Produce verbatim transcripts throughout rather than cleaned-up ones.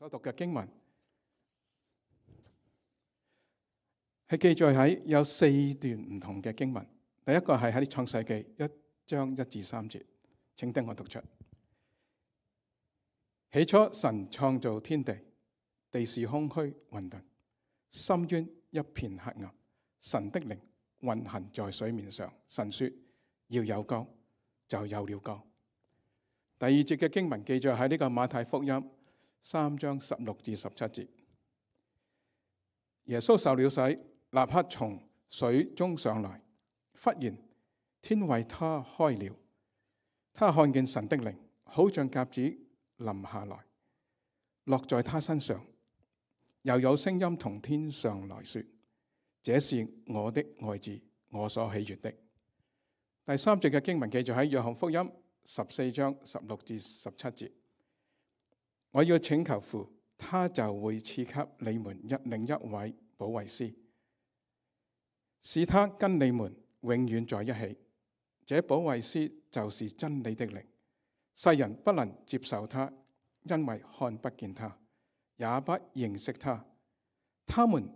所讀嘅經文係記載喺有四段唔同嘅經文。第一個係喺創世記一章一至三節，請聽我讀出。起初神創造天地，地是空虛混沌，深淵一片黑暗，神的靈運行在水面上。神說要有光，就有了光。第二節嘅經文記載喺呢個馬太福音三章十六至十七節。耶穌受了洗，立刻從水中上來，忽然天為他開了，他看見神的靈好像鴿子臨下來，落在他身上，又有聲音從天上來說：這是我的愛子，我所喜悅的。第三節嘅經文記載喺約翰福音十四章十六至十七節。我要請求父，他就會賜給你們一另一位保惠師，使他跟你們永遠在一起。這保惠師就是真理的靈。世人不能接受他，因為看不見他，也不認識他。他們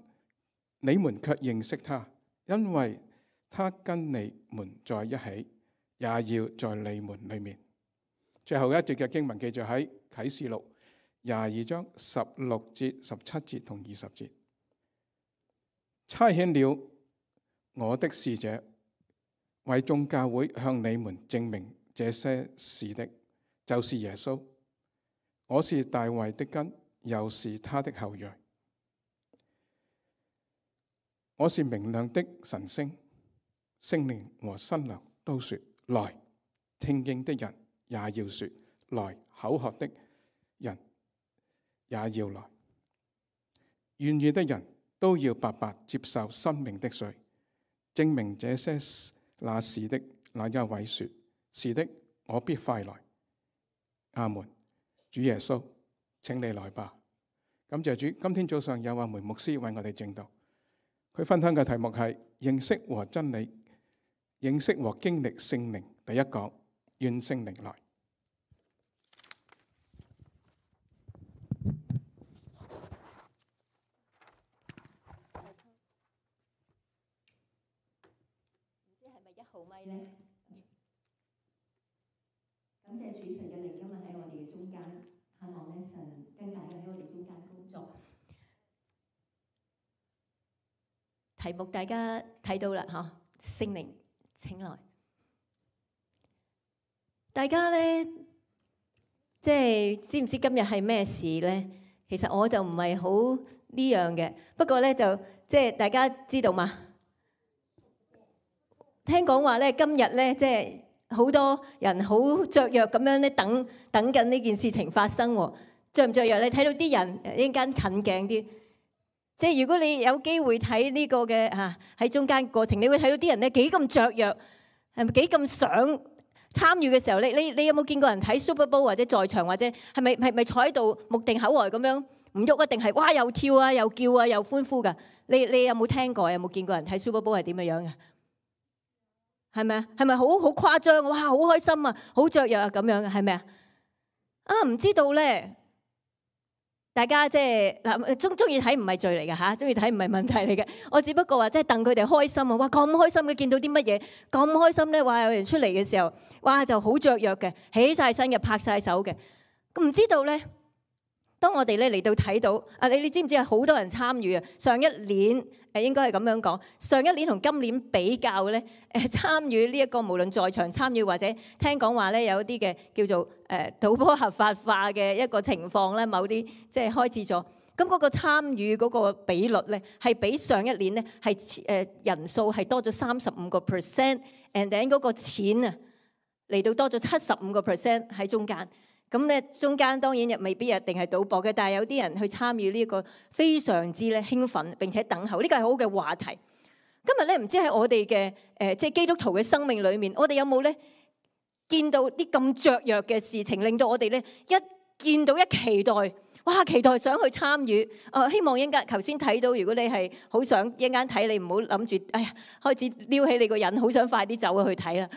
你們卻認識他，因為他跟你們在一起，也要在你們裏面。最後一節嘅經文記載喺啟示錄廿二章十六節、十七節同二十節。差遣了我的使者，為眾教會向你們證明這些事的，就是耶穌。我是大衛的根，又是他的後裔。我是明亮的晨星，聖靈和新娘都說來，聽見的人也要說來，口渴的人也要來，願意的人都要白白接受生命的水。證明這些那事的那一位說：是的，我必快來。阿門。主耶穌，請你來吧。感謝主，今天早上有阿梅牧師為我哋證道，佢分享嘅題目係認識和真理，認識和經歷聖靈。第一講，願聖靈來。好咪咧，感謝主神嘅靈今日喺我哋嘅中間，盼望咧神跟大家喺我哋中間工作。題目大家睇到啦，嗬，聖靈請來。大家咧，即係知唔知今日係咩事咧？其實我就唔係好呢樣嘅，不過咧就即係大家知道嘛。聽講話咧，今日咧即係好多人好雀躍咁樣咧，等等緊呢件事情發生喎。雀唔雀躍？你睇到啲人一陣間近鏡啲，即係如果你有機會睇呢個嘅嚇喺中間過程，你會睇到啲人咧幾咁雀躍，係咪幾咁想參與嘅時候？你你你有冇見過人睇 Super Bowl 或者在場或者係咪係咪坐喺度目定口呆咁樣唔喐啊？定係哇又跳啊又叫啊又歡呼㗎？你你有冇聽過？有冇見過人睇 Super Bowl 係點嘅樣嘅？係咪啊？係咪好好誇張？哇！好開心啊，好雀躍啊，咁樣嘅係咪啊？啊，唔知道咧。大家即係嗱，中中意睇唔係罪嚟嘅嚇，中意睇唔係問題嚟嘅。我只不過話即係戥佢哋開心啊！哇，咁開心嘅，見到啲乜嘢咁開心咧？話有人出嚟嘅時候，哇就好雀躍嘅，起晒身嘅，拍晒手嘅。咁唔知道咧？當我哋咧嚟到睇到啊，你你知唔知係好多人參與啊？上一年誒應該係咁樣講，上一年同今年比較咧，誒參與呢一個無論在場參與或者聽講話咧，有啲嘅叫做誒賭波合法化嘅一個情況咧，某啲即係開始咗。咁嗰個參與嗰個比率咧，係比上一年咧係誒人數係多咗三十五個 percent，and then 嗰個錢啊嚟到多咗七十五個 percent 喺中間。咁咧，中間當然又未必一定係賭博嘅，但係有啲人去參與呢一個非常之咧興奮並且等候，呢個係好嘅話題。今日咧唔知喺我哋嘅誒即係基督徒嘅生命裏面，我哋有冇咧見到啲咁雀躍嘅事情，令到我哋咧一見到一期待，哇！期待想去參與。啊，希望一陣間頭先睇到，如果你係好想一陣間睇，你唔好諗住，哎呀，開始撩起你個人，好想快啲走去睇啦。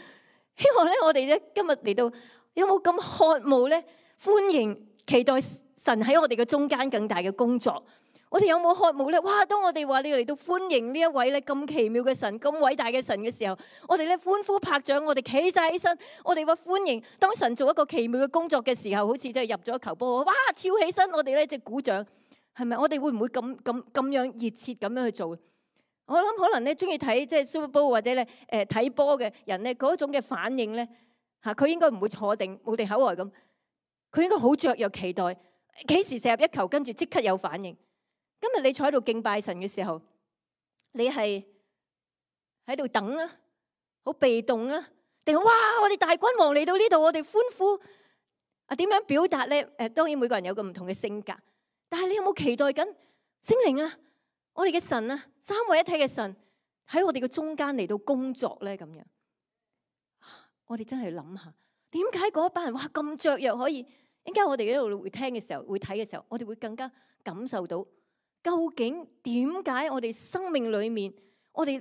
希望咧，我哋咧今日嚟到。有冇咁渴慕咧？歡迎、期待神喺我哋嘅中間更大嘅工作。我哋有冇渴慕咧？哇！當我哋話你嚟到歡迎呢一位咧咁奇妙嘅神、咁偉大嘅神嘅時候，我哋咧歡呼拍掌，我哋企晒起身，我哋話歡迎。當神做一個奇妙嘅工作嘅時候，好似即係入咗球波，哇！跳起身，我哋咧即係鼓掌，係咪？我哋會唔會咁咁咁樣熱切咁樣去做？我諗可能咧中意睇即係 Super Bowl 或者咧誒睇波嘅人咧嗰種嘅反應咧嚇，佢應該唔會坐定冇地口呆咁，佢應該好雀躍期待幾時射入一球，跟住即刻有反應。今日你坐喺度敬拜神嘅時候，你係喺度等啊，好被動啊，定係哇！我哋大君王嚟到呢度，我哋歡呼啊！點樣表達咧？誒，當然每個人有個唔同嘅性格，但係你有冇期待緊聖靈啊？我哋嘅神啊，三位一體嘅神喺我哋嘅中間嚟到工作咧，咁樣我哋真係諗下，點解嗰一班人哇咁雀躍可以？點解我哋喺度會聽嘅時候，會睇嘅時候，我哋會更加感受到？究竟點解我哋生命裏面，我哋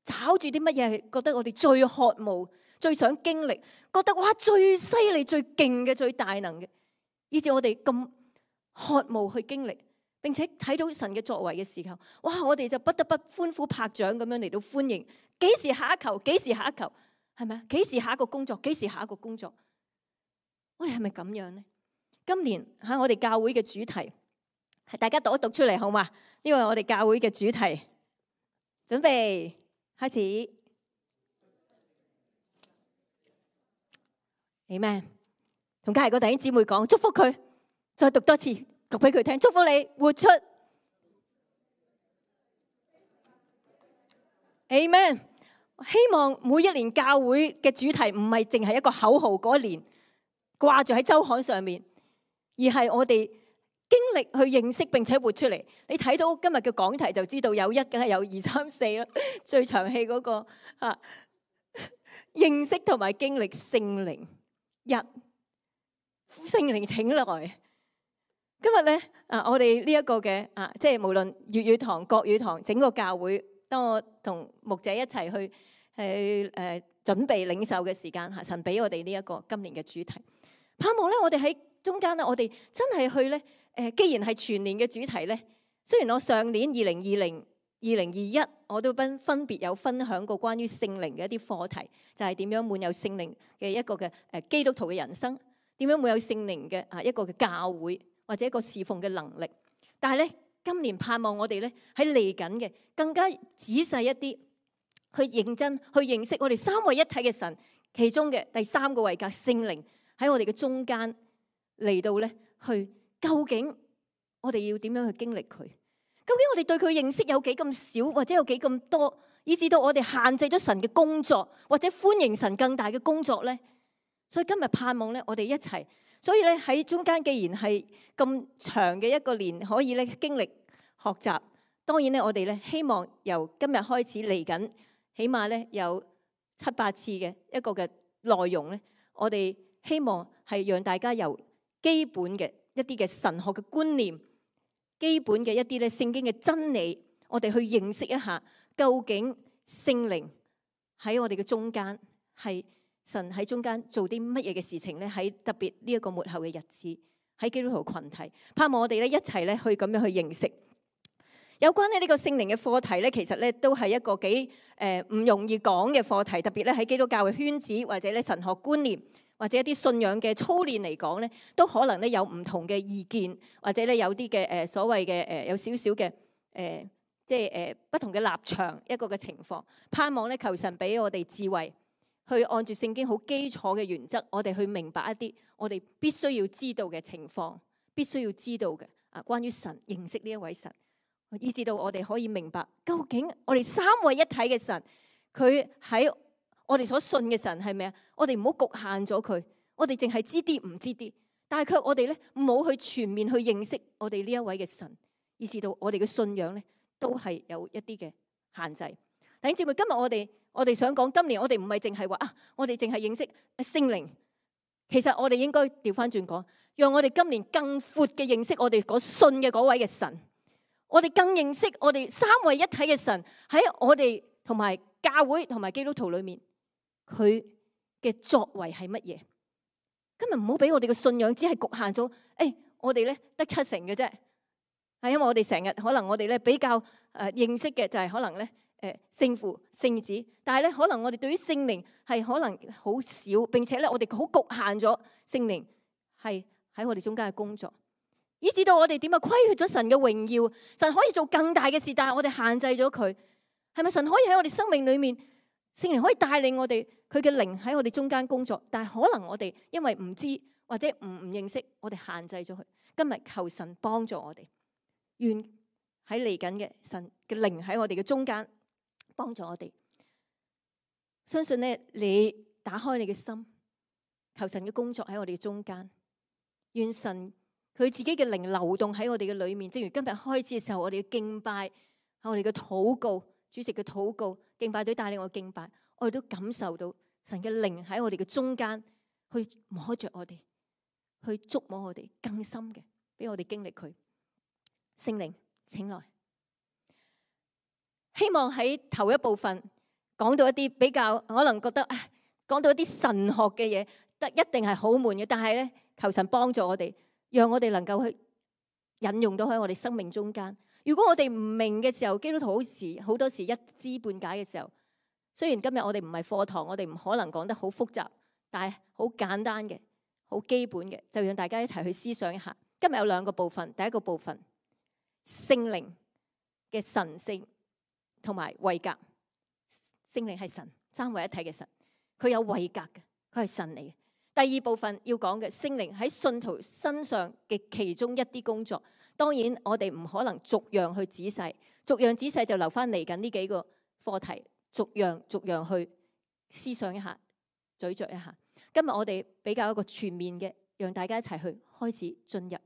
找住啲乜嘢係覺得我哋最渴慕、最想經歷，覺得哇最犀利、最勁嘅、最大能嘅，以至我哋咁渴慕去經歷，並且睇到神嘅作為嘅時候，哇！我哋就不得不歡呼拍掌咁樣嚟到歡迎。幾時下一球？幾時下一球？係咪啊？幾時下一個工作？幾時下一個工作？我哋係咪咁樣呢？今年喺我哋教會嘅主題。大家讀一讀出嚟好嘛？呢個係我哋教會嘅主題，準備開始。Amen。同隔籬個弟兄姊妹講，祝福佢，再讀多次，讀俾佢聽，祝福你活出。Amen。希望每一年教會嘅主題唔係淨係一個口號，嗰一年掛住喺周刊上面，而係我哋經歷去認識並且活出嚟。你睇到今日嘅講題就知道有一梗係有二三四啦。最長氣嗰個啊，認識同埋經歷聖靈一，聖靈請來。今日咧啊，我哋呢一個嘅啊，即係無論粵語堂、國語堂，整個教會，當我同牧者一齊去去誒、呃、準備領受嘅時間嚇，神俾我哋呢一個今年嘅主題，盼望咧我哋喺中間咧，我哋真係去咧。誒，既然係全年嘅主題咧，雖然我上年二零二零、二零二一我都分分別有分享過關於聖靈嘅一啲課題，就係點樣滿有聖靈嘅一個嘅誒基督徒嘅人生，點樣滿有聖靈嘅啊一個嘅教會或者一個侍奉嘅能力。但係咧，今年盼望我哋咧喺嚟緊嘅更加仔細一啲，去認真去認識我哋三位一體嘅神，其中嘅第三個位格聖靈喺我哋嘅中間嚟到咧去。究竟我哋要點樣去經歷佢？究竟我哋對佢認識有幾咁少，或者有幾咁多，以至到我哋限制咗神嘅工作，或者歡迎神更大嘅工作呢？所以今日盼望咧，我哋一齊。所以咧喺中間，既然係咁長嘅一個年，可以咧經歷學習。當然咧，我哋咧希望由今日開始嚟緊，起碼咧有七八次嘅一個嘅內容咧，我哋希望係讓大家由基本嘅。一啲嘅神學嘅觀念，基本嘅一啲咧聖經嘅真理，我哋去認識一下，究竟聖靈喺我哋嘅中間，係神喺中間做啲乜嘢嘅事情咧？喺特別呢一個末後嘅日子，喺基督徒群體，盼望我哋咧一齊咧去咁樣去認識。有關咧呢個聖靈嘅課題咧，其實咧都係一個幾誒唔容易講嘅課題，特別咧喺基督教嘅圈子或者咧神學觀念。或者一啲信仰嘅操練嚟講咧，都可能咧有唔同嘅意見，或者咧有啲嘅誒所謂嘅誒有少少嘅誒，即係誒不同嘅立場一個嘅情況。盼望咧求神俾我哋智慧，去按住聖經好基礎嘅原則，我哋去明白一啲我哋必須要知道嘅情況，必須要知道嘅啊，關於神認識呢一位神，以至到我哋可以明白究竟我哋三位一體嘅神，佢喺我哋所信嘅神係咩啊？我哋唔好局限咗佢，我哋淨係知啲唔知啲，但係卻我哋咧冇去全面去認識我哋呢一位嘅神，以至到我哋嘅信仰咧都係有一啲嘅限制。弟兄姊妹，今日我哋我哋想講，今年我哋唔係淨係話啊，我哋淨係認識聖靈，其實我哋應該調翻轉講，讓我哋今年更闊嘅認識我哋嗰信嘅嗰位嘅神，我哋更認識我哋三位一體嘅神喺我哋同埋教會同埋基督徒裏面。佢嘅作為係乜嘢？今日唔好俾我哋嘅信仰只係局限咗。誒、哎，我哋咧得七成嘅啫，係因為我哋成日可能我哋咧比較誒認識嘅就係可能咧誒聖父、聖子，但係咧可能我哋對於聖靈係可能好少，並且咧我哋好局限咗聖靈係喺我哋中間嘅工作，以至到我哋點啊虧缺咗神嘅榮耀。神可以做更大嘅事，但係我哋限制咗佢。係咪神可以喺我哋生命裏面，聖靈可以帶領我哋，佢嘅靈喺我哋中間工作，但係可能我哋因為唔知或者唔唔認識，我哋限制咗佢。今日求神幫助我哋，願喺嚟緊嘅神嘅靈喺我哋嘅中間幫助我哋。相信咧，你打開你嘅心，求神嘅工作喺我哋嘅中間，願神佢自己嘅靈流動喺我哋嘅裏面。正如今日開始嘅時候，我哋嘅敬拜，喺我哋嘅禱告，主席嘅禱告，敬拜隊帶領我敬拜，我哋都感受到神嘅靈喺我哋嘅中間，去摸着我哋，去觸摸我哋更深嘅，俾我哋經歷佢。聖靈，請來。希望喺頭一部分講到一啲比較可能覺得講到一啲神學嘅嘢，得一定係好悶嘅，但係咧求神幫助我哋，讓我哋能夠去引用到喺我哋生命中間。如果我哋唔明嘅時候，基督徒好時好多時一知半解嘅時候，雖然今日我哋唔係課堂，我哋唔可能講得好複雜，但係好簡單嘅、好基本嘅，就讓大家一齊去思想一下。今日有兩個部分，第一個部分聖靈嘅神性同埋位格。聖靈係神，三位一體嘅神，佢有位格嘅，佢係神嚟嘅。第二部分要講嘅聖靈喺信徒身上嘅其中一啲工作。當然我哋唔可能逐樣去仔細，逐樣仔細就留翻嚟緊呢幾個課題，逐樣逐樣去思想一下，咀嚼一下。今日我哋比較一個全面嘅，讓大家一齊去開始進入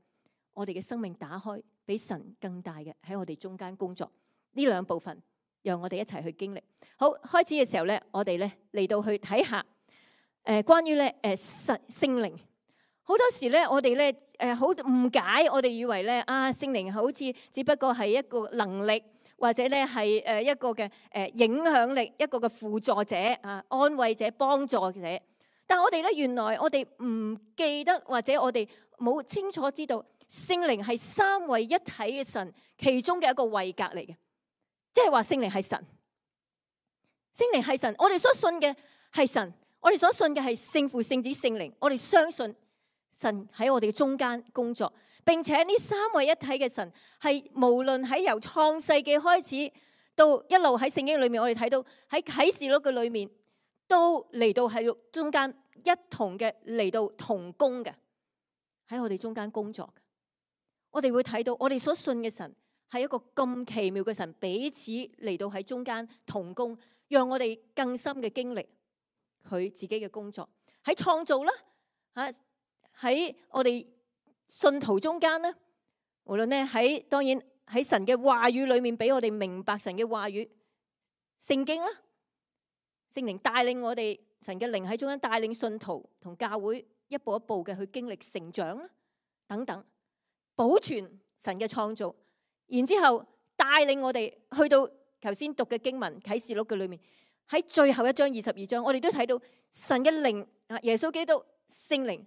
我哋嘅生命，打開比神更大嘅喺我哋中間工作。呢兩部分讓我哋一齊去經歷。好，開始嘅時候咧，我哋咧嚟到去睇下誒、呃、關於咧誒神聖靈。好多時咧，我哋咧誒好誤解，我哋以為咧啊聖靈好似只不過係一個能力，或者咧係誒一個嘅誒影響力，一個嘅輔助者啊，安慰者、幫助者。但係我哋咧原來我哋唔記得，或者我哋冇清楚知道，聖靈係三位一體嘅神其中嘅一個位格嚟嘅，即係話聖靈係神，聖靈係神。我哋所信嘅係神，我哋所信嘅係聖父、聖子、聖靈，我哋相信神喺我哋嘅中間工作，並且呢三位一體嘅神係無論喺由創世紀開始到一路喺聖經裏面，我哋睇到喺啟示錄嘅裏面都嚟到喺中間一同嘅嚟到同工嘅，喺我哋中間工作嘅。我哋會睇到我哋所信嘅神係一個咁奇妙嘅神，彼此嚟到喺中間同工，讓我哋更深嘅經歷佢自己嘅工作喺創造啦吓。喺我哋信徒中間咧，無論咧喺當然喺神嘅話語裏面俾我哋明白神嘅話語，聖經啦，聖靈帶領我哋，神嘅靈喺中間帶領信徒同教會一步一步嘅去經歷成長啦，等等，保存神嘅創造，然之後帶領我哋去到頭先讀嘅經文啟示錄嘅裏面，喺最後一章二十二章，我哋都睇到神嘅靈啊，耶穌基督聖靈。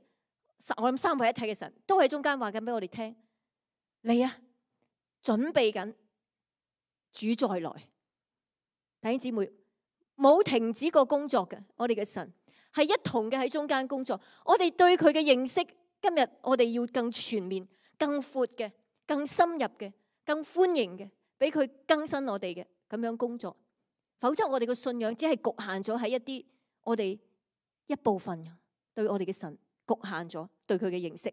我諗三位一體嘅神都喺中間話緊俾我哋聽，你啊準備緊主再來，弟兄姊妹冇停止過工作嘅，我哋嘅神係一同嘅喺中間工作。我哋對佢嘅認識，今日我哋要更全面、更闊嘅、更深入嘅、更歡迎嘅，俾佢更新我哋嘅咁樣工作。否則我哋嘅信仰只係局限咗喺一啲我哋一部分對我哋嘅神。局限咗對佢嘅認識。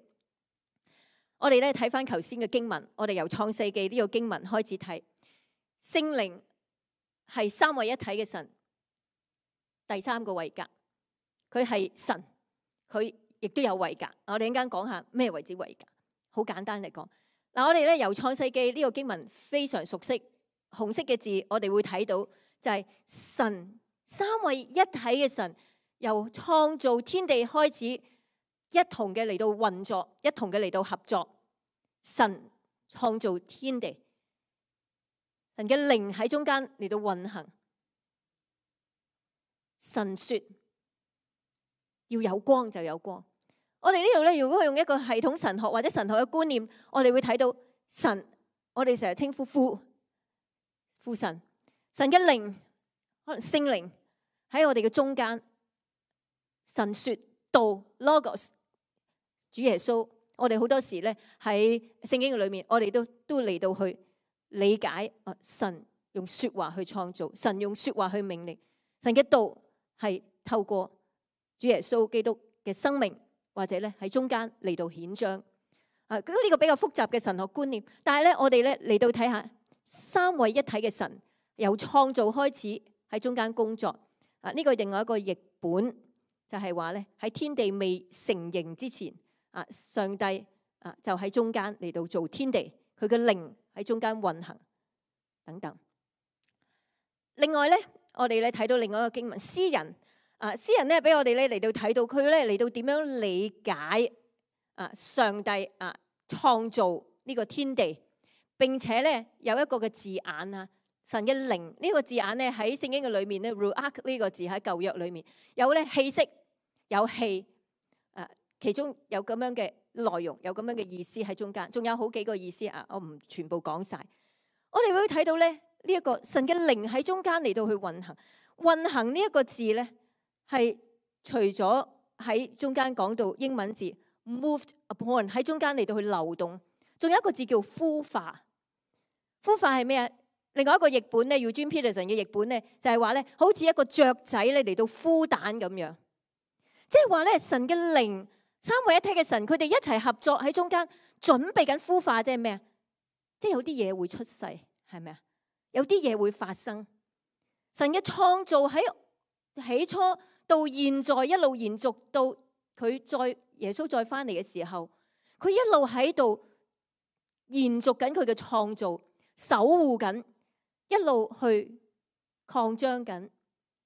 我哋咧睇翻頭先嘅經文，我哋由創世記呢個經文開始睇，聖靈係三位一體嘅神，第三個位格，佢係神，佢亦都有位格。我哋一陣間講下咩為之位格。好簡單嚟講，嗱，我哋咧由創世記呢個經文非常熟悉，紅色嘅字我哋會睇到就係神三位一體嘅神，由創造天地開始。一同嘅嚟到運作，一同嘅嚟到合作。神創造天地，神嘅靈喺中間嚟到運行。神說要有光就有光，我哋呢度咧，如果用一個系統神學或者神學嘅觀念，我哋會睇到神，我哋成日稱呼父父神，神嘅靈，可能聖靈喺我哋嘅中間，神說道 Logos， 主耶穌，我哋好多時咧喺聖經嘅裏面，我哋都都嚟到去理解啊，神用說話去創造，神用說話去命令，神嘅道係透過主耶穌基督嘅生命，或者咧喺中間嚟到顯彰啊。咁呢個比較複雜嘅神學觀念，但係咧我哋咧嚟到睇下三位一體嘅神由創造開始喺中間工作啊。呢個另外一個譯本就係話咧喺天地未成形之前啊，上帝啊就喺中間嚟到做天地，佢嘅靈喺中間運行等等。另外咧，我哋咧睇到另外一個經文，詩人。啊！詩人咧俾我哋咧嚟到睇到佢咧嚟到點樣理解啊上帝啊創造呢個天地，並且咧有一個嘅字眼啊，神嘅靈呢個字眼咧喺聖經嘅裏面咧 ruach 呢個字喺舊約裏面有咧氣息有氣啊，其中有咁樣嘅內容，有咁樣嘅意思喺中間，仲有好幾個意思啊，我唔全部講晒。我哋會睇到咧呢一個神嘅靈喺中間嚟到去運行，運行呢一個字咧。係除咗喺中間講到英文字 moved upon 喺中間嚟到去流動，仲有一個字叫孵化。孵化係咩啊？另外一個譯本咧 Eugene Peterson 嘅譯本咧就係話咧，好似一個雀仔咧嚟到孵蛋咁樣，即係話咧神嘅靈三位一體嘅神，佢哋一齊合作喺中間準備緊孵化，即係咩啊？即係有啲嘢會出世，係咪啊？有啲嘢會發生。神嘅創造喺起初。到現在一路延續到佢再耶穌再翻嚟嘅時候，佢一路喺度延續緊佢嘅創造，守護緊，一路去擴張緊，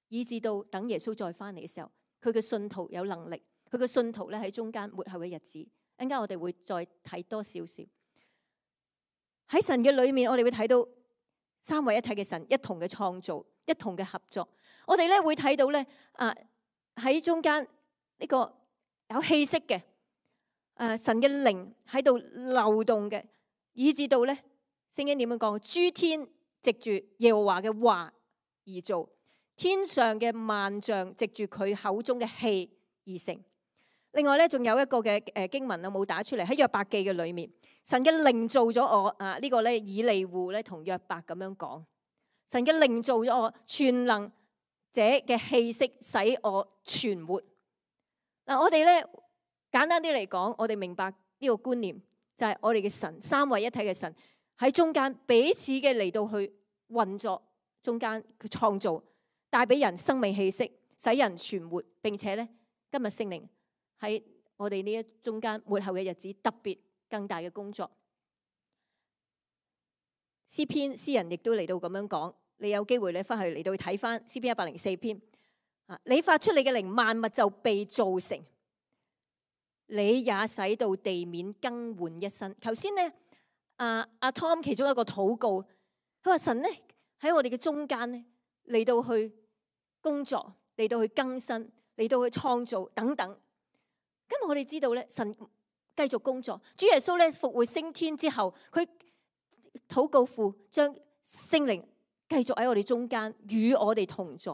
以至到等耶穌再翻嚟嘅時候，佢嘅信徒有能力，佢嘅信徒咧喺中間末後嘅日子，一陣間我哋會再睇多少少。喺神嘅裏面，我哋會睇到三位一體嘅神一同嘅創造，一同嘅合作。我哋咧會睇到咧啊。喺中間呢個有氣息嘅，誒神嘅靈喺度流動嘅，以至到咧聖經點樣講？諸天藉住耶和華嘅話而造，天上嘅萬象藉住佢口中嘅氣而成。另外咧，仲有一個嘅誒經文啊，冇打出嚟喺約伯記嘅裏面，神嘅靈造咗我啊！呢個咧以利戶咧同約伯咁樣講，神嘅靈造咗我，全能者嘅氣息使我存活。嗱，我哋咧簡單啲嚟講，我哋明白呢個觀念就係我哋嘅神三位一體嘅神喺中間彼此嘅嚟到去運作，中間佢創造帶俾人生命氣息，使人存活，並且咧今日聖靈喺我哋呢一中間末後嘅日子特別更大嘅工作。詩篇詩人亦都嚟到咁樣講。你有機會你翻去嚟到睇翻詩篇一百零四篇啊！你發出你嘅靈，萬物就被造成，你也使到地面更換一新。頭先呢，阿阿 Tom 其中一個禱告，佢話神呢喺我哋嘅中間呢嚟到去工作，嚟到去更新，嚟到去創造等等。今日我哋知道咧，神繼續工作。主耶穌咧復活升天之後，佢禱告父將聖靈繼續喺我哋中間與我哋同在，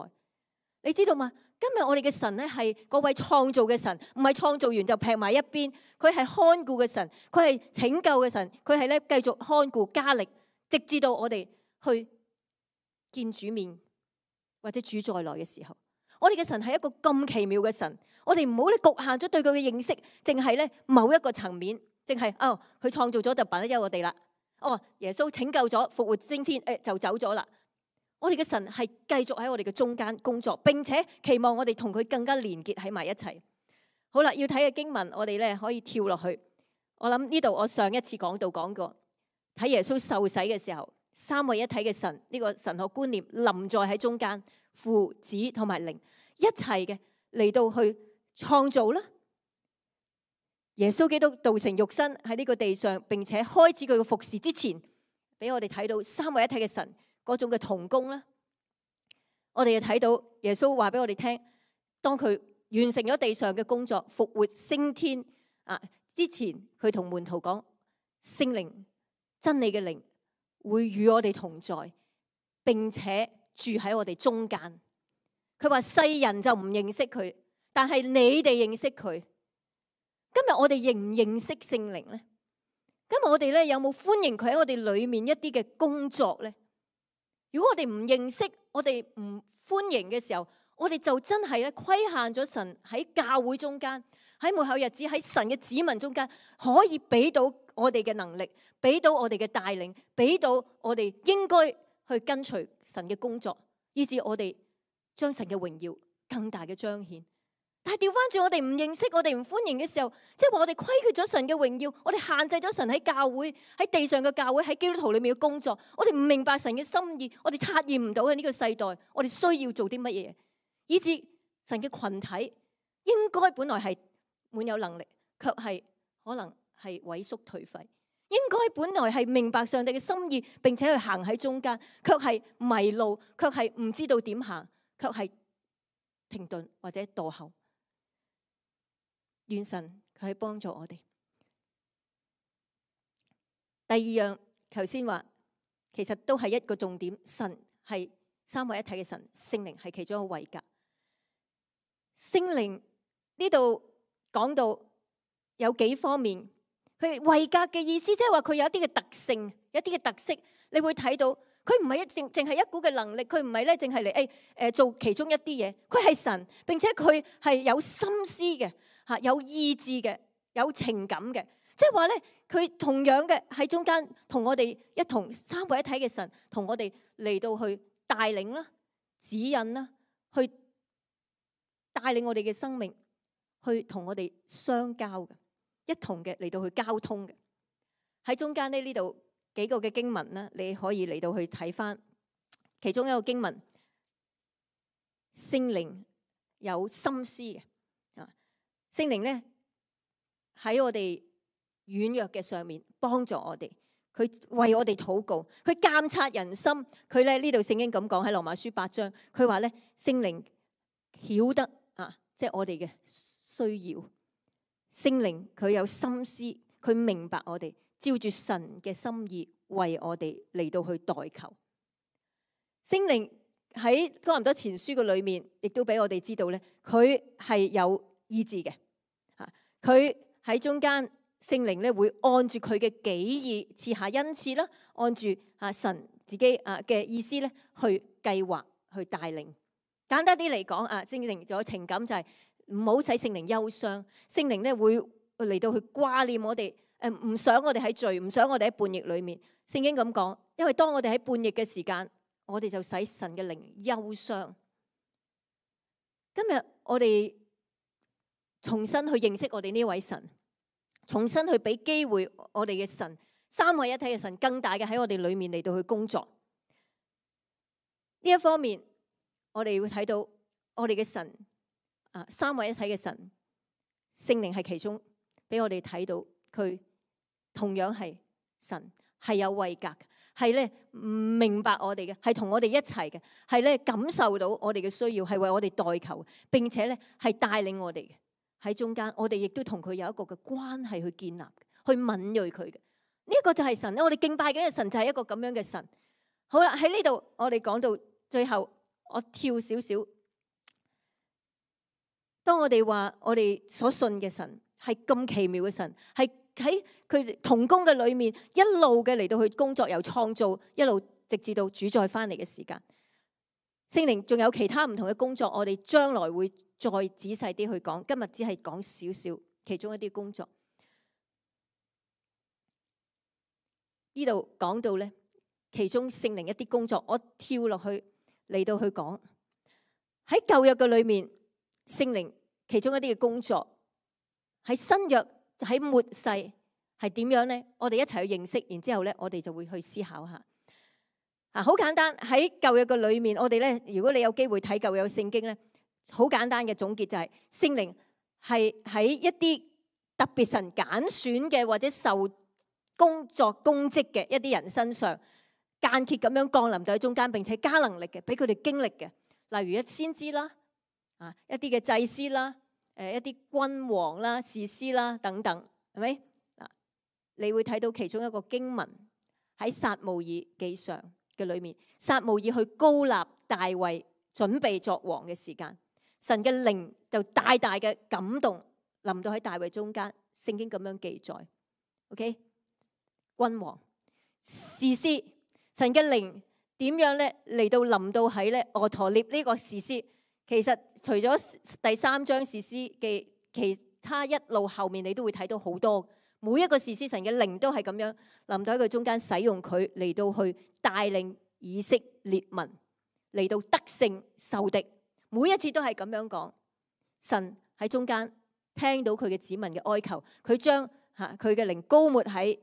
你知道嗎？今日我哋嘅神咧係嗰位創造嘅神，唔係創造完就劈埋一邊，佢係看顧嘅神，佢係拯救嘅神，佢係咧繼續看顧加力，直至到我哋去見主面或者主再來嘅時候，我哋嘅神係一個咁奇妙嘅神，我哋唔好咧局限咗對佢嘅認識，淨係咧某一個層面，淨係哦佢創造咗就辦得休我哋啦，哦耶穌拯救咗復活升天，誒就走咗啦。我哋嘅神係繼續喺我哋嘅中間工作，並且期望我哋同佢更加連結喺埋一齊。好啦，要睇嘅經文，我哋咧可以跳落去。我諗呢度我上一次講到講過，睇耶穌受洗嘅時候，三位一體嘅神呢個神學觀念臨在喺中間，父子同埋靈一齊嘅嚟到去創造啦。耶穌基督道成肉身喺呢個地上，並且開始佢嘅服侍之前，俾我哋睇到三位一體嘅神嗰種嘅同工啦，我哋又睇到耶穌話俾我哋聽，當佢完成咗地上嘅工作，復活升天，啊，之前佢同門徒講，聖靈真理嘅靈會與我哋同在，並且住喺我哋中間。佢話世人就唔認識佢，但係你哋認識佢。今日我哋認唔認識聖靈呢？今日我哋咧有冇歡迎佢喺我哋裏面一啲嘅工作呢？如果我哋唔認識，我哋唔歡迎嘅時候，我哋就真係咧規限咗神喺教會中間，喺末後日子喺神嘅子民中間，可以俾到我哋嘅能力，俾到我哋嘅帶領，俾到我哋應該去跟隨神嘅工作，以致我哋將神嘅榮耀更大嘅彰顯。但係調翻轉，我哋唔認識，我哋唔歡迎嘅時候，即係話我哋虧缺咗神嘅榮耀，我哋限制咗神喺教會、喺地上嘅教會、喺基督徒裏面嘅工作，我哋唔明白神嘅心意，我哋察驗唔到喺呢個世代，我哋需要做啲乜嘢，以致神嘅群體應該本來係滿有能力，卻係可能係萎縮頹廢；應該本來係明白上帝嘅心意，並且去行喺中間，卻係迷路，卻係唔知道點行，卻係停頓或者墮後。願神佢係幫助我哋。第二樣，頭先話其實都係一個重點，神係三位一體嘅神，聖靈係其中一個位格。聖靈呢度講到有幾方面，佢位格嘅意思即係話佢有一啲嘅特性，一啲嘅特色，你會睇到佢唔係一淨淨係一股嘅能力，佢唔係咧淨係嚟誒誒做其中一啲嘢，佢係神，並且佢係有心思嘅。嚇，有意志嘅，有情感嘅，即係話咧，佢同樣嘅喺中間同我哋一同三位一體嘅神，同我哋嚟到去帶領啦、指引啦，去帶領我哋嘅生命，去同我哋相交嘅，一同嘅嚟到去交通嘅。喺中間呢呢度幾個嘅經文啦，你可以嚟到去睇返，其中一個經文，聖靈有心思嘅。聖靈咧喺我哋軟弱嘅上面幫助我哋，佢為我哋禱告，佢監察人心。佢咧呢度聖經咁講喺羅馬書八章，佢話咧聖靈曉得啊，即係我哋嘅需要。聖靈佢有心思，佢明白我哋，照住神嘅心意為我哋嚟到去代求。聖靈喺哥林多前書嘅裏面，亦都俾我哋知道咧，佢係有意志嘅。佢喺中間，聖靈咧會按住佢嘅己意賜下恩賜啦，按住啊神自己啊嘅意思咧去計劃去帶領。簡單啲嚟講啊，聖靈仲有情感，就係唔好使聖靈憂傷。聖靈咧會嚟到去掛念我哋，誒唔想我哋喺罪，唔想我哋喺叛逆裏面。聖經咁講，因為當我哋喺叛逆嘅時間，我哋就使神嘅靈憂傷。今日我哋重新去認識我哋呢位神，重新去俾機會我哋嘅神，三位一體嘅神更大嘅喺我哋裏面嚟到去工作。呢一方面，我哋會睇到我哋嘅神啊，三位一體嘅神，聖靈係其中，俾我哋睇到佢同樣係神，係有位格，係咧唔明白我哋嘅，係同我哋一齊嘅，係咧感受到我哋嘅需要，係為我哋代求，並且咧係帶領我哋嘅。喺中間，我哋亦都同佢有一個嘅關係去建立，去敏銳佢嘅。呢一個就係神，我哋敬拜緊嘅神就係一個咁樣嘅神。好啦，喺呢度我哋講到最後，我跳少少。當我哋話我哋所信嘅神係咁奇妙嘅神，係喺佢同工嘅裏面一路嘅嚟到去工作，由創造一路直至到主再翻嚟嘅時間。聖靈仲有其他唔同嘅工作，我哋將來會再仔細啲去講，今日只係講少少其中一啲工作。呢度講到咧，其中聖靈一啲工作，我跳落去嚟到去講喺舊約嘅裏面，聖靈其中一啲嘅工作，喺新約喺末世係點樣咧？我哋一齊去認識，然之後咧，我哋就會去思考下。啊，好簡單，喺舊約嘅裏面，我哋咧，如果你有機會睇舊約聖經咧。好簡單嘅總結就係聖靈係喺一啲特別神揀選嘅或者受工作公職嘅一啲人身上間歇咁樣降臨到喺中間，並且加能力嘅，俾佢哋經歷嘅。例如一先知啦，啊一啲嘅祭司啦，誒一啲君王啦、士師啦等等，係咪？嗱，你會睇到其中一個經文喺撒母耳記上嘅裏面，撒母耳去膏立大衛準備作王嘅時間，神嘅靈就大大嘅感動臨到喺大衛中間，聖經咁樣記載。OK， 君王、士師，神嘅靈點樣咧嚟到臨到喺咧俄陀聶呢個士師？其實除咗第三章士師記，其他一路後面你都會睇到好多，每一個士師神嘅靈都係咁樣臨到喺佢中間，使用佢嚟到去帶領以色列民嚟到得勝受敵。每一次都係咁樣講，神喺中間聽到佢嘅子民嘅哀求，佢將吓佢嘅靈膏抹喺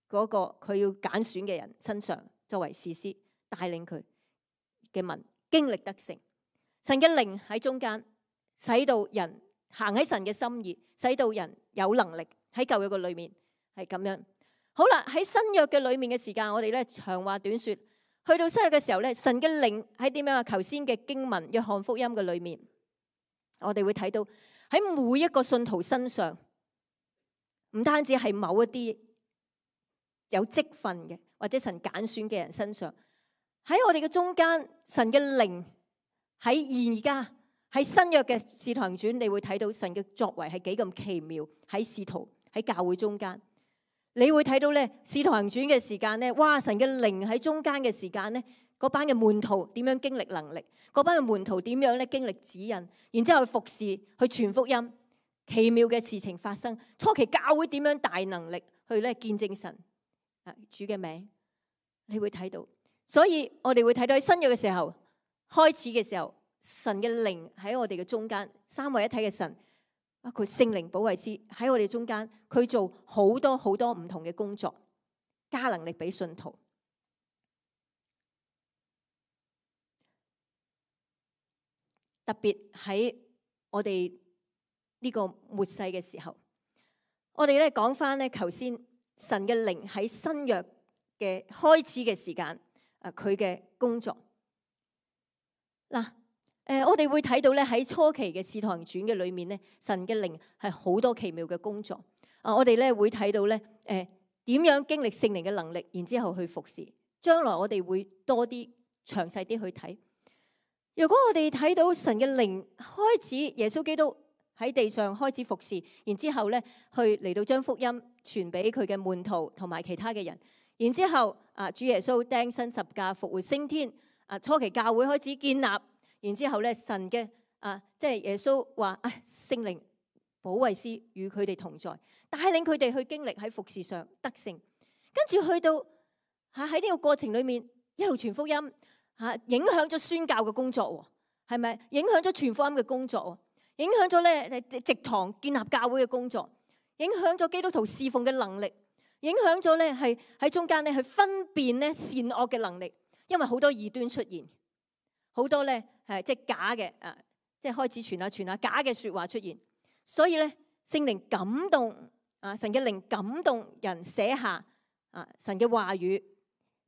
嗰個佢要揀選嘅人身上，作為士師帶領佢嘅民經歷得勝。神嘅靈喺中間，使到人行喺神嘅心意，使到人有能力喺舊約嘅裏面係咁樣。好啦，喺新約嘅裏面嘅時間，我哋咧長話短說，去到新約嘅時候咧，神嘅靈喺點樣啊？頭先嘅經文約翰福音嘅裏面，我哋會睇到喺每一個信徒身上，唔單止係某一啲有職分嘅或者神揀選嘅人身上，喺我哋嘅中間，神嘅靈。喺而家喺新約嘅使徒行傳，你會睇到神嘅作為係幾咁奇妙。喺使徒喺教會中間，你會睇到咧使徒行傳嘅時間咧，哇！神嘅靈喺中間嘅時間咧，嗰班嘅門徒點樣經歷能力？嗰班嘅門徒點樣咧經歷指引？然之後去服侍、去傳福音，奇妙嘅事情發生。初期教會點樣大能力去咧見證神啊主嘅名？你會睇到，所以我哋會睇到喺新約嘅時候。開始嘅時候，神嘅靈喺我哋嘅中間，三位一體嘅神，包括聖靈保惠師喺我哋中間，佢做好多好多唔同嘅工作，加能力俾信徒。特別喺我哋呢個末世嘅時候，我哋咧講翻咧，頭先神嘅靈喺新約嘅開始嘅時間，啊佢嘅工作。嗱，誒，我哋會睇到咧喺初期嘅《使徒行傳》嘅裏面咧，神嘅靈係好多奇妙嘅工作。啊，我哋咧會睇到咧，誒，點樣經歷聖靈嘅能力，然之後去服侍。將來我哋會多啲詳細啲去睇。如果我哋睇到神嘅靈開始，耶穌基督喺地上開始服侍，然之後咧去嚟到將福音傳俾佢嘅門徒同埋其他嘅人，然之後啊，主耶穌釘身十架復活升天。啊！初期教會開始建立，然之後咧，神嘅啊，即係耶穌話：啊，聖靈保惠師與佢哋同在，帶領佢哋去經歷喺服侍上得勝。跟住去到嚇喺呢個過程裏面，一路傳福音嚇、啊，影響咗宣教嘅工作喎，係咪？影響咗傳福音嘅工作喎，影響咗咧植堂建立教會嘅工作，影響咗基督徒侍奉嘅能力，影響咗咧係喺中間咧去分辨咧善惡嘅能力。因為好多異端出現，好多咧係即係假嘅啊，即係開始傳下傳下假嘅説話出現，所以咧聖靈感動啊，神嘅靈感動人寫下啊神嘅話語，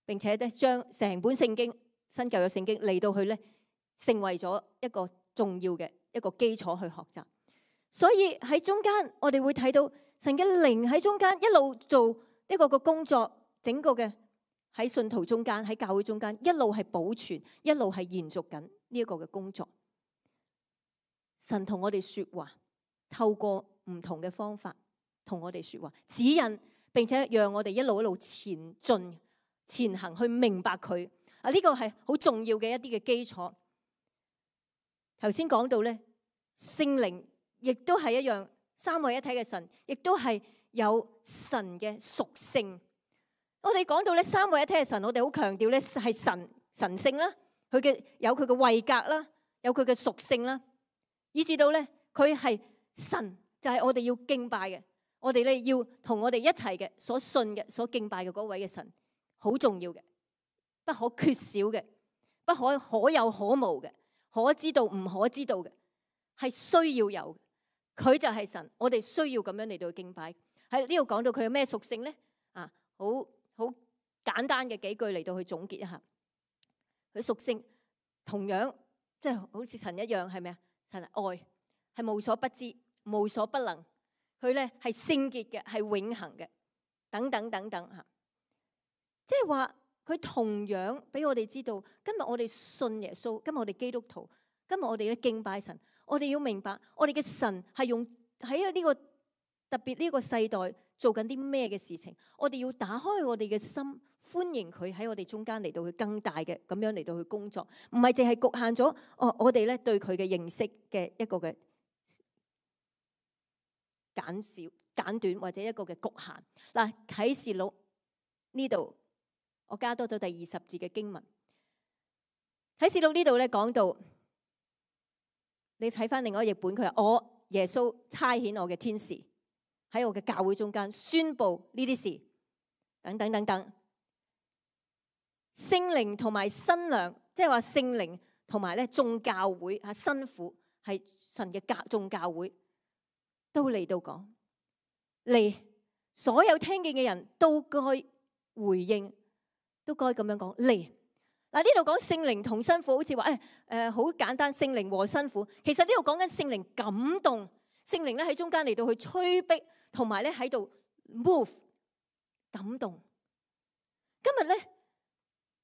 並且咧將成本聖經新舊約聖經嚟到去咧成為咗一個重要嘅一個基礎去學習。所以喺中間我哋會睇到神嘅靈喺中間一路做呢個個工作，整個嘅。喺信徒中間，喺教會中間，一路係保存，一路係延續緊呢一個嘅工作。神同我哋說話，透過唔同嘅方法同我哋說話，指引，並且讓我哋一路一路前進、前行，去明白佢。啊，呢個係好重要嘅一啲嘅基礎。頭先講到咧，聖靈亦都係一樣，三位一體嘅神，亦都係有神嘅屬性。我哋講到咧三位一體嘅神，我哋好強調咧係神神性啦，佢嘅有佢嘅位格啦，有佢嘅屬性啦，以至到咧佢係神，就係我哋要敬拜嘅，我哋咧要同我哋一齊嘅所信嘅、所敬拜嘅嗰位嘅神，好重要嘅，不可缺少嘅，不可可有可無嘅，可知道唔可知道嘅，係需要有。佢就係神，我哋需要咁樣嚟到敬拜。喺呢度講到佢有咩屬性咧？啊，好。好簡單嘅幾句嚟到去總結一下，佢屬性同樣即係好似神一樣，係咪啊？神係愛，係無所不知，無所不能，佢咧係聖潔嘅，係永恆嘅，等等等等嚇。即係話佢同樣俾我哋知道，今日我哋信耶穌，今日我哋基督徒，今日我哋咧敬拜神，我哋要明白我哋嘅神係用喺呢個特別呢個世代做緊啲咩嘅事情，我哋要打開我哋嘅心，歡迎佢喺我哋中間嚟到去更大嘅咁樣嚟到去工作，唔係淨係局限咗哦我哋咧對佢嘅認識嘅一個嘅簡少簡短或者一個嘅局限。嗱，啟示錄呢度我加多咗第二十節嘅經文。啟示錄呢度咧講到，你睇翻另外一個譯本，佢話我耶穌差遣我嘅天使喺我嘅教會中間宣布呢啲事，等等等等。聖靈同埋新娘，即係話聖靈同埋咧眾教會啊，新婦係神嘅教眾教會，都嚟到講嚟，所有聽見嘅人都該回應，都該咁樣講嚟。嗱，呢度講聖靈同新婦，好似話誒誒好簡單，聖靈和新婦。其實呢度講緊聖靈感動，聖靈咧喺中間嚟到去催逼，同埋咧喺度 move 感動。今日咧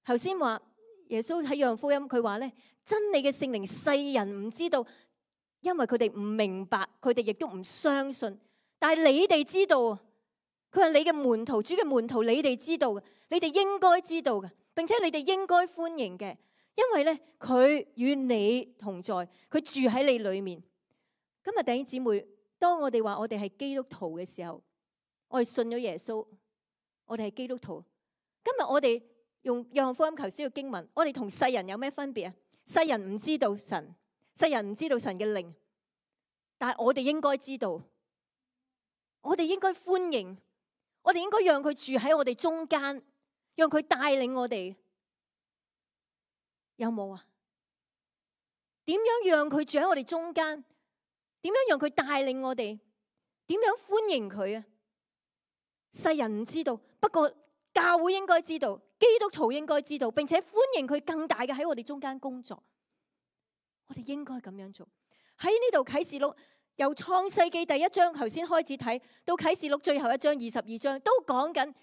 頭先話耶穌喺約翰福音，佢話咧真理嘅聖靈世人唔知道，因為佢哋唔明白，佢哋亦都唔相信。但係你哋知道，佢話你嘅門徒，主嘅門徒，你哋知道嘅，你哋應該知道嘅。並且你哋應該歡迎嘅，因為咧佢與你同在，佢住喺你裏面。今日弟兄姊妹，當我哋話我哋係基督徒嘅時候，我哋信咗耶穌，我哋係基督徒。今日我哋用約翰福音頭先嘅經文，我哋同世人有咩分別啊？世人唔知道神，世人唔知道神嘅靈，但係我哋應該知道，我哋應該歡迎，我哋應該讓佢住喺我哋中間。讓佢帶領我哋，有冇啊？點樣讓佢住喺我哋中間？點樣讓佢帶領我哋？點樣歡迎佢啊？世人唔知道，不過教會應該知道，基督徒應該知道，並且歡迎佢更大嘅喺我哋中間工作。我哋應該咁樣做。喺呢度啟示錄由創世紀第一章頭先開始睇到啟示錄最後一章二十二章，都講緊。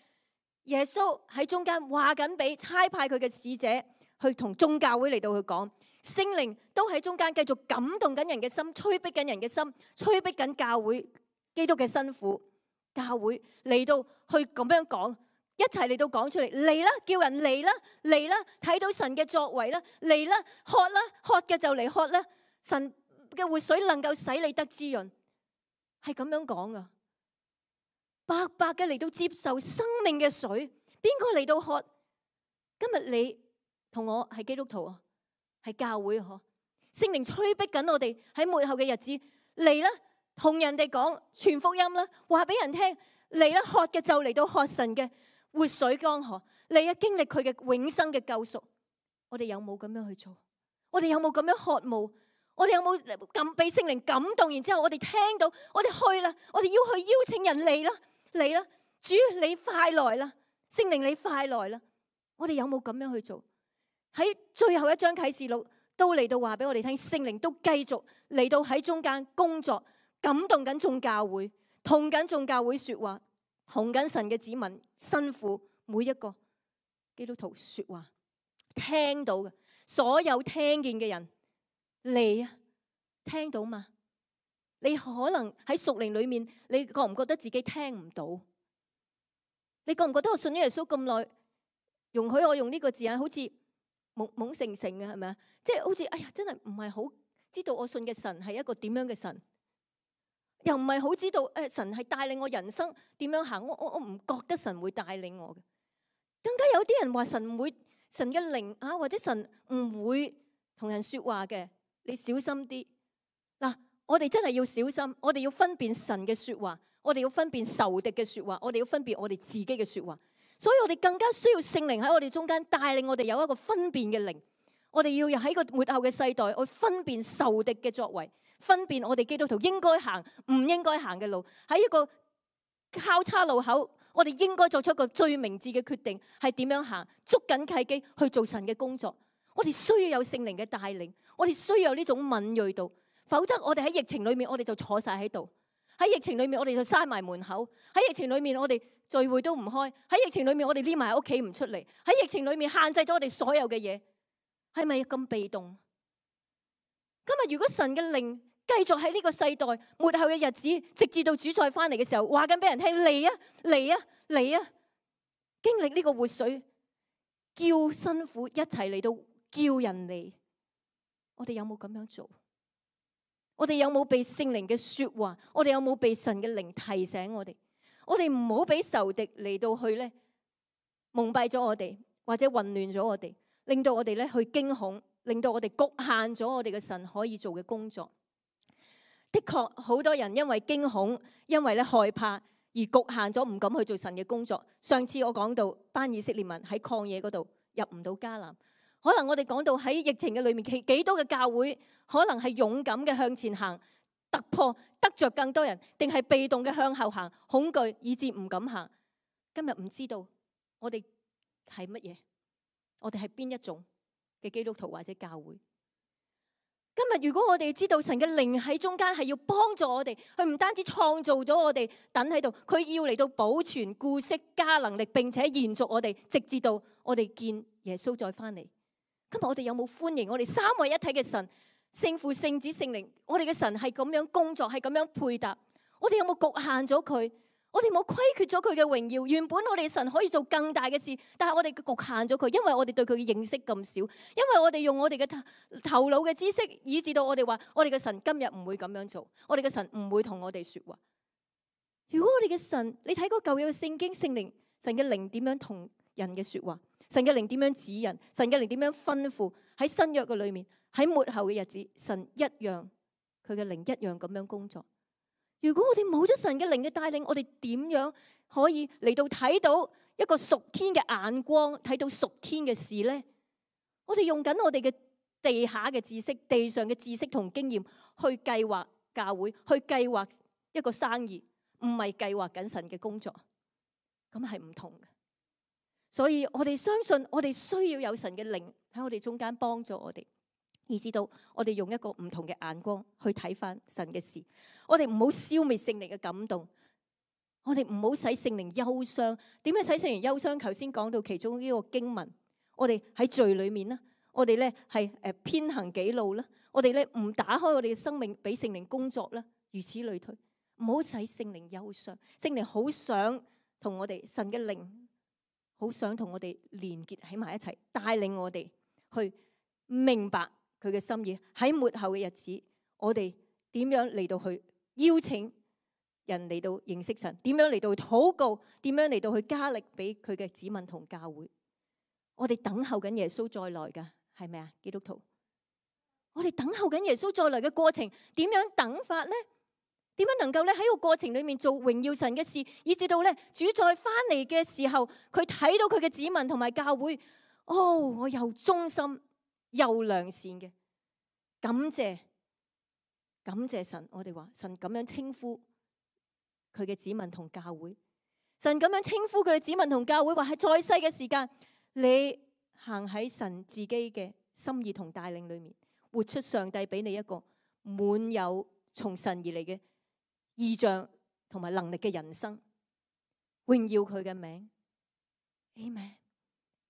耶穌喺中間話緊俾差派佢嘅使者去同眾教會嚟到去講，聖靈都喺中間繼續感動緊人嘅心，催逼緊人嘅心，催逼緊教會基督嘅新婦教會嚟到去咁樣講，一齊嚟到講出嚟，嚟啦，叫人嚟啦，嚟啦，睇到神嘅作為啦，嚟啦，喝啦，喝嘅就嚟喝啦，神嘅活水能夠使你得滋潤，係咁樣講噶。白白嘅嚟到接受生命嘅水，邊個嚟到喝？今日你同我係基督徒啊，係教會嗬，聖靈催逼緊我哋喺末後嘅日子嚟啦，同人哋講傳福音啦，話俾人聽嚟啦，喝嘅就嚟到喝神嘅活水江河，嚟啊經歷佢嘅永生嘅救贖。我哋有冇咁樣去做？我哋有冇咁樣渴慕？我哋有冇咁俾聖靈感動？然之後我哋聽到，我哋去啦，我哋要去邀請人嚟啦。嚟啦，主你快來啦，聖靈你快來啦！我哋有冇咁樣去做？喺最後一章啟示錄都嚟到話俾我哋聽，聖靈都繼續嚟到喺中間工作，感動緊眾教會，同緊眾教會說話，同緊神嘅子民、新婦每一個基督徒說話，聽到嘅所有聽見嘅人嚟啊，聽到嘛？你可能喺屬靈裏面，你覺唔覺得自己聽唔到？你覺唔覺得我信咗耶穌咁耐，容許我用呢個字眼，好似懵懵成成嘅係咪啊？即係好似哎呀，真係唔係好知道我信嘅神係一個點樣嘅神，又唔係好知道誒神係帶領我人生點樣行。我我我唔覺得神會帶領我嘅。更加有啲人話神唔會，神嘅靈啊，或者神唔會同人說話嘅，你小心啲嗱。我哋真係要小心，我哋要分辨神嘅說話，我哋要分辨仇敵嘅說話，我哋要分辨我哋自己嘅說話。所以我哋更加需要聖靈喺我哋中間帶領我哋有一個分辨嘅靈。我哋要喺個末後嘅世代，去分辨仇敵嘅作為，分辨我哋基督徒應該行唔應該行嘅路。喺一個交叉路口，我哋應該做出一個最明智嘅決定，係點樣行，捉緊契機去做神嘅工作。我哋需要有聖靈嘅帶領，我哋需要有呢種敏銳度。否則我哋喺疫情裏面，我哋就坐晒喺度，喺疫情裏面我哋就閂埋門口，喺疫情裏面我哋聚會都唔開，喺疫情裏面我哋匿埋喺屋企唔出嚟，喺疫情裏面限制咗我哋所有嘅嘢，係咪咁被動？今日如果神嘅靈繼續喺呢個世代末後嘅日子，直至到主再翻嚟嘅時候，話緊俾人聽，嚟啊嚟啊嚟啊，經歷呢個活水，叫辛苦一齊嚟到叫人嚟，我哋有冇咁樣做？我哋有冇被聖靈嘅說話？我哋有冇被神嘅靈提醒我哋？我哋唔好俾仇敵嚟到去咧蒙蔽咗我哋，或者混亂咗我哋，令到我哋咧去驚恐，令到我哋局限咗我哋嘅神可以做嘅工作。的確，好多人因為驚恐，因為咧害怕而局限咗，唔敢去做神嘅工作。上次我講到班以色列民喺曠野嗰度入唔到迦南，可能我哋講到喺疫情嘅裏面，幾幾多嘅教會可能係勇敢嘅向前行，突破得着更多人，定係被動嘅向後行，恐懼以致唔敢行。今日唔知道我哋係乜嘢，我哋係邊一種嘅基督徒或者教會。今日如果我哋知道神嘅靈喺中間係要幫助我哋，佢唔單止創造咗我哋等喺度，佢要嚟到保存、顧惜、加能力，並且延續我哋，直至到我哋見耶穌再翻嚟。今日我哋有冇歡迎我哋三位一體嘅神，聖父、聖子、聖靈？我哋嘅神係咁樣工作，係咁樣配搭。我哋有冇局限咗佢？我哋冇虧缺咗佢嘅榮耀。原本我哋神可以做更大嘅事，但係我哋局限咗佢，因為我哋對佢嘅認識咁少，因為我哋用我哋嘅頭頭腦嘅知識，以致到我哋話我哋嘅神今日唔會咁樣做，我哋嘅神唔會同我哋說話。如果我哋嘅神，你睇過舊約嘅聖經，聖靈神嘅靈點樣同人嘅說話，神嘅靈點樣指引，神嘅靈點樣吩咐，喺新約嘅裏面，喺末後嘅日子，神一樣佢嘅靈一樣咁樣工作。如果我哋冇咗神嘅靈嘅帶領，我哋點樣可以嚟到睇到一個屬天嘅眼光，睇到屬天嘅事呢？我哋用緊我哋嘅地下嘅知識、地上嘅知識同經驗去計劃教會，去計劃一個生意，唔係計劃緊神嘅工作，咁係唔同嘅。所以我哋相信，我哋需要有神嘅靈喺我哋中間幫助我哋。以至到我哋用一個唔同嘅眼光去睇翻神嘅事，我哋唔好消滅聖靈嘅感動，我哋唔好使聖靈憂傷。點樣使聖靈憂傷？頭先講到其中呢個經文，我哋喺罪裏面啦，我哋咧係誒偏行己路啦，我哋咧唔打開我哋嘅生命俾聖靈工作啦，如此類推，唔好使聖靈憂傷。聖靈好想同我哋神嘅靈，好想同我哋連結喺埋一齊，帶領我哋去明白佢嘅心意。喺末後嘅日子，我哋點樣嚟到去邀請人嚟到認識神？點樣嚟到去禱告？點樣嚟到去加力俾佢嘅子民同教會？我哋等候緊耶穌再來噶，係咪啊？基督徒，我哋等候緊耶穌再來嘅過程，點樣等法呢？點樣能夠咧喺個過程裏面做榮耀神嘅事，以至到咧主再翻嚟嘅時候，佢睇到佢嘅子民同埋教會，哦，我又忠心又良善嘅，感謝感謝神。我哋話神咁樣稱呼佢嘅子民同教會，神咁樣稱呼佢嘅子民同教會，話係在世嘅時間，你行喺神自己嘅心意同帶領裏面，活出上帝俾你一個滿有從神而嚟嘅異象同埋能力嘅人生，榮耀佢嘅名。Amen。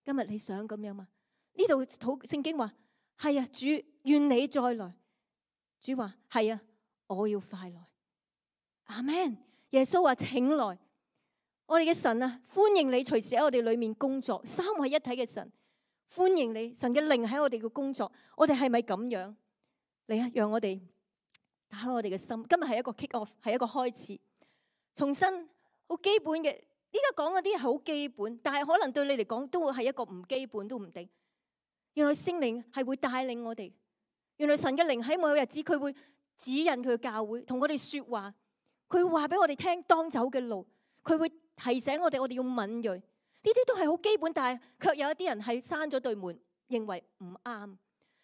今日你想咁樣嘛？呢度禱聖經話係啊，主願你再來。主話係啊，我要快來。阿們。耶穌話請來。我哋嘅神啊，歡迎你隨時喺我哋裏面工作。三位一體嘅神歡迎你，神嘅靈喺我哋嘅工作。我哋係咪咁樣？嚟啊，讓我哋打開我哋嘅心。今日係一個 kick off， 係一個開始，重新好基本嘅。依家講嗰啲係好基本，但係可能對你嚟講都會係一個唔基本都唔定。原來聖靈係會帶領我哋，原來神嘅靈喺某日子佢會指引佢嘅教會，同我哋說話，佢會話俾我哋聽當走嘅路，佢會提醒我哋我哋要敏銳。呢啲都係好基本，但係卻有一啲人係閂咗對門，認為唔啱。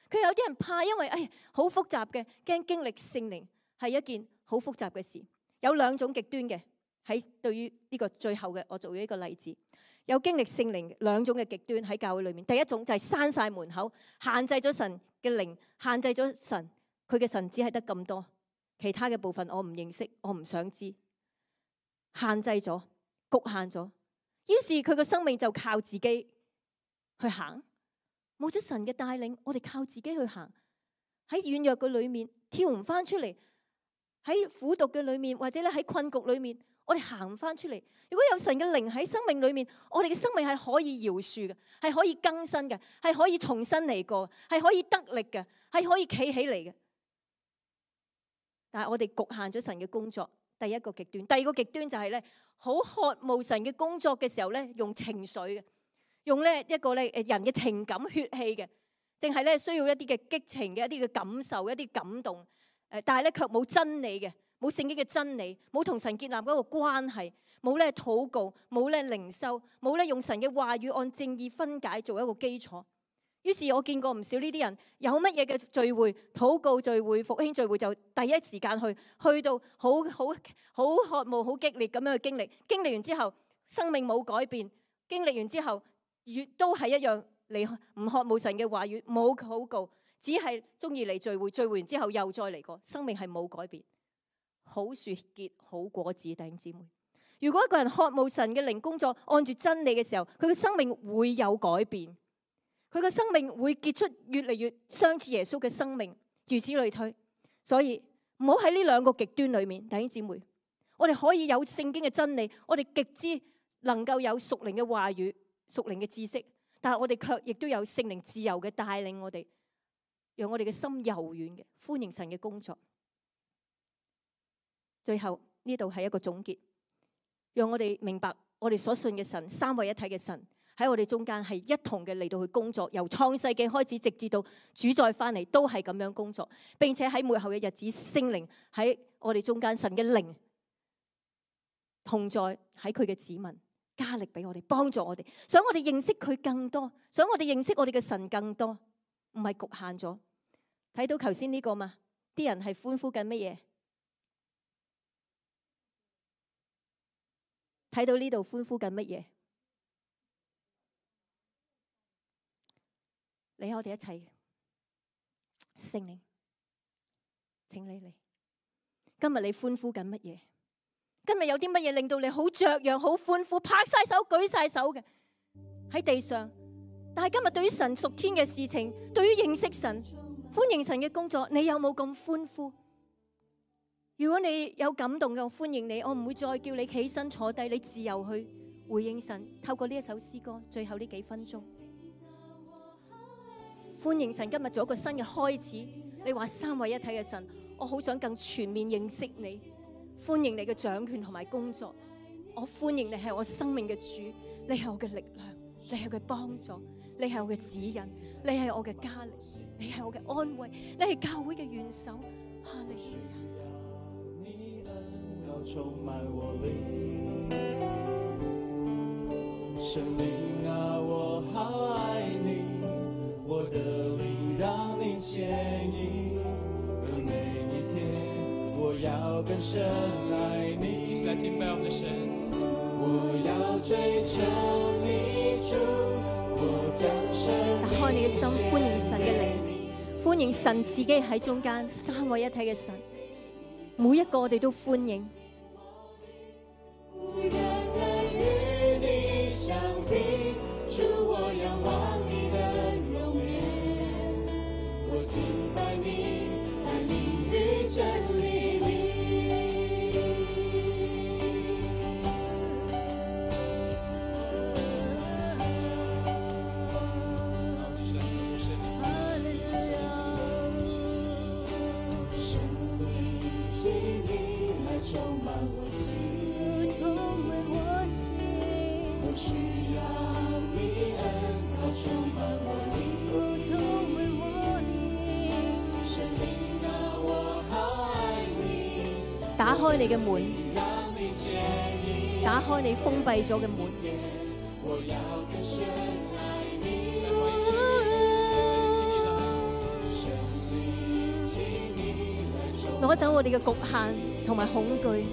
佢有啲人怕，因為誒好複雜嘅，驚經歷聖靈係一件好複雜嘅事。有兩種極端嘅。喺對於呢個最後嘅，我做咗一個例子，有經歷聖靈兩種嘅極端喺教會裏面。第一種就係閂晒門口，限制咗神嘅靈，限制咗神，佢嘅神只係得咁多，其他嘅部分我唔認識，我唔想知，限制咗，局限咗。於是佢個生命就靠自己去行，冇咗神嘅帶領，我哋靠自己去行，喺軟弱嘅裏面跳唔翻出嚟，喺苦毒嘅裏面或者咧喺困局裏面，我哋行唔翻出嚟。如果有神嘅靈喺生命裏面，我哋嘅生命係可以饒恕嘅，係可以更新嘅，係可以重新嚟過，係可以得力嘅，係可以企起嚟嘅。但係我哋局限咗神嘅工作，第一個極端。第二個極端就係咧，好渴慕神嘅工作嘅時候咧，用情緒嘅，用咧一個咧誒人嘅情感血氣嘅，淨係咧需要一啲嘅激情嘅一啲嘅感受，一啲感動。誒，但係咧卻冇真理嘅，冇聖經嘅真理，冇同神建立嗰個關係，冇咧禱告，冇咧靈修，冇咧用神嘅話語按正義分解做一個基礎。於是我見過唔少呢啲人，有乜嘢嘅聚會、禱告聚會、復興聚會，就第一時間去，去到好好好渴慕、好激烈咁樣去經歷。經歷完之後，生命冇改變；經歷完之後，越都係一樣，你唔渴慕神嘅話語，冇禱告，只係中意嚟聚會。聚會完之後又再嚟過，生命係冇改變。好樹結好果子，弟兄姊妹。如果一個人渴慕神嘅靈工作，按住真理嘅時候，佢嘅生命會有改變。佢嘅生命會結出越嚟越相似耶穌嘅生命，如此類推。所以唔好喺呢兩個極端裏面，弟兄姊妹，我哋可以有聖經嘅真理，我哋極之能夠有屬靈嘅話語、屬靈嘅知識，但係我哋卻亦都有聖靈自由嘅帶領我哋，讓我哋嘅心柔軟嘅，歡迎神嘅工作。最後呢度係一個總結，讓我哋明白我哋所信嘅神，三位一體嘅神，喺我哋中間係一同嘅嚟到去工作，由創世紀開始，直至到主再翻嚟，都係咁樣工作，並且喺末後嘅日子，聖靈喺我哋中間，神嘅靈同在喺佢嘅子民，加力俾我哋，幫助我哋，想我哋認識佢更多，想我哋認識我哋嘅神更多，唔係局限咗。睇到頭先呢個嘛，啲人係歡呼緊乜嘢？睇到呢度歡呼緊乜嘢？嚟，我哋一齊，聖靈，請你嚟。今日你歡呼緊乜嘢？今日有啲乜嘢令到你好雀躍、好歡呼、拍晒手、舉晒手嘅喺地上？但係今日對於神屬天嘅事情，對於認識神、歡迎神嘅工作，你有冇咁歡呼？如果你有感動嘅，我歡迎你，我唔會再叫你起身坐低，你自由去回應神。透過呢一首詩歌，最後呢幾分鐘。歡迎神今日做一個新嘅開始。你話三位一體嘅神，我好想更全面認識你。歡迎你嘅掌權同埋工作。我歡迎你係我生命嘅主，你係我嘅力量，你係我嘅幫助，你係我嘅指引，你係我嘅加力，你係我嘅安慰，你係教會嘅元首。哈利路亞。你恩膏充滿我靈，聖靈啊，我好愛你。我的靈讓你牽引，而每一天我要更深愛你。我要追求你主，我將生命。打開你嘅心，歡迎神嘅靈，歡迎神自己喺中間，三位一體嘅神，每一個我哋都歡迎。無人能與你相比，主我仰望你的容顏，我敬拜你在靈與真理裡。聖靈吸引來充滿我心，充滿我心，我需要你恩膏充滿我靈，充滿我靈。聖靈啊，我好愛你。打開你嘅門，打開你封閉咗嘅門。我要更深愛你。攞走我哋嘅局限同埋恐懼，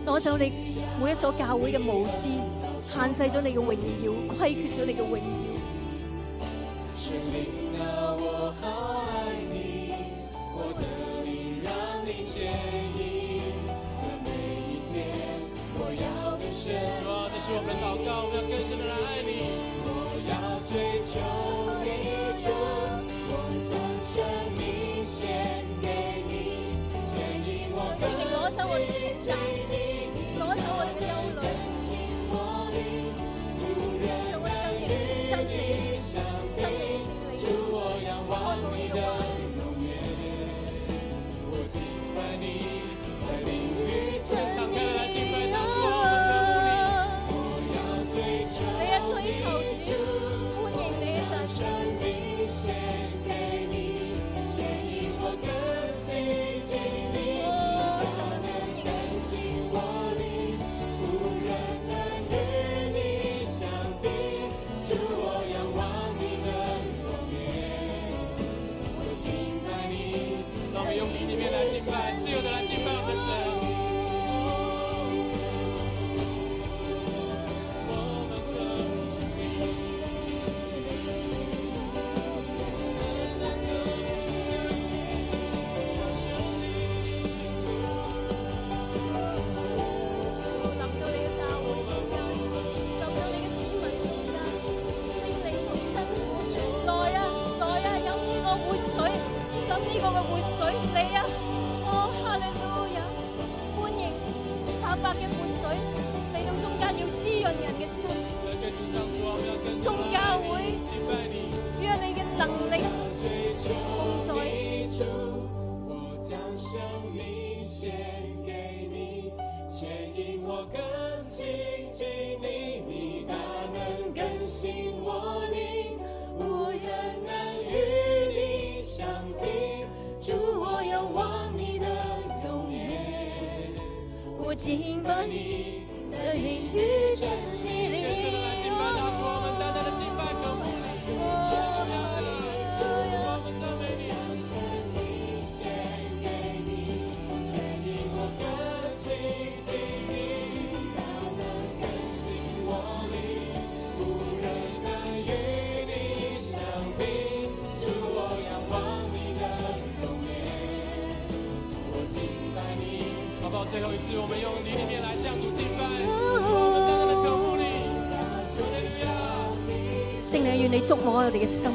攞走你每一所教會嘅無知，限制咗你嘅榮耀，虧缺咗你嘅榮耀。聖靈啊，我好愛你，我的靈讓是我们的祷告，我们要更深的来爱你。我要追求你主，我将生命献给你，牵引我跟聖靈攞走我哋嘅重擔，攞走我哋嘅憂慮，讓我哋更認識真理，真理嘅聖靈，開放你嘅話語。敞开了来敬拜他，主啊，我们渴慕你。你啊，追求主，歡迎你嘅神。让我们用你里面来敬拜，自由的来敬拜我们的神。敬拜你，在灵与真理里。更深的来敬拜他，主，我们单单的敬拜渴慕你。主啊，我们赞美你。好不好？最后一次，我们用你里面来向主敬拜，我们单单的渴慕你。聖靈，願你觸摸我哋嘅心，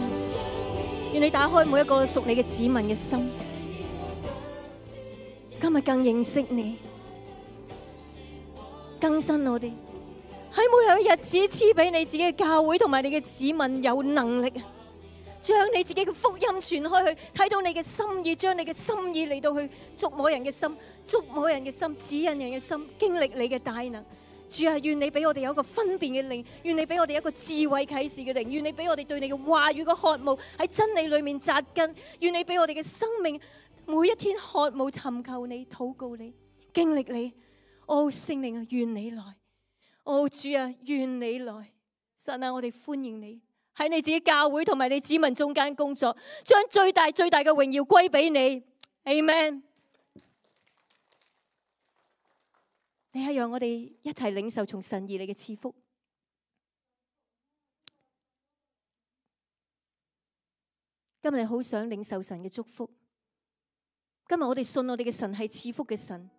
願你打開每一個屬你嘅子民嘅心。今日更認識你，更新我哋喺每兩日子賜俾你自己嘅教會同埋你嘅子民有能力，將你自己嘅福音傳開去，睇到你嘅心意，將你嘅心意嚟到去觸摸人嘅心，觸摸人嘅心，指引人嘅心，經歷你嘅大能。主啊，願你俾我哋有一個分辨嘅靈，願你俾我哋一個智慧啟示嘅靈，願你俾我哋對你嘅話語嘅渴慕喺真理裏面扎根，願你俾我哋嘅生命每一天渴慕尋求你、禱告你、經歷你。哦，聖靈啊，願你來。哦，主啊，願你來。神啊，我哋歡迎你喺你自己教會同埋你子民中間工作，將最大最大嘅榮耀歸俾你。Amen。你係讓我哋一齊領受從神而嚟嘅賜福。今日好想領受神嘅祝福。今日我哋信我哋嘅神係賜福嘅神，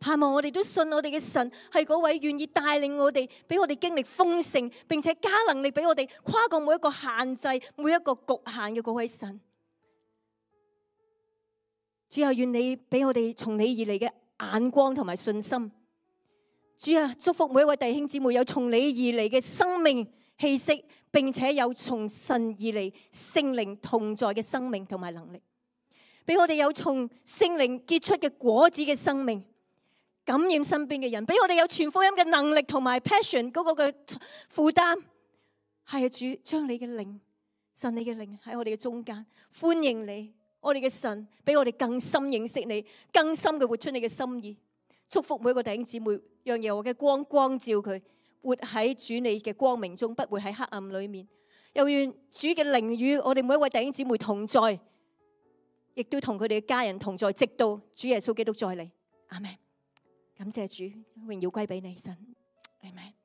盼望我哋都信我哋嘅神係嗰位願意帶領我哋，俾我哋經歷豐盛，並且加能力俾我哋跨過每一個限制、每一個局限嘅嗰位神。主啊，願你俾我哋從你而嚟嘅眼光同埋信心。主啊，祝福每一位弟兄姊妹有從你而嚟嘅生命氣息，並且有從神而嚟聖靈同在嘅生命同埋能力，俾我哋有從聖靈結出嘅果子嘅生命，感染身邊嘅人，俾我哋有傳福音嘅能力同埋 passion 嗰個嘅負擔。係啊，主，將你嘅靈，神你嘅靈喺我哋嘅中間，歡迎你。我哋嘅神俾我哋更深認識你，更深嘅活出你嘅心意。祝福每一個弟兄姊妹，讓耶和華嘅光光照佢，活喺主你嘅光明中，不會喺黑暗裏面。又願主嘅靈與我哋每一位弟兄姊妹同在，亦都同佢哋嘅家人同在，直到主耶穌基督再嚟。阿們。感謝主，榮耀歸俾你神。阿們。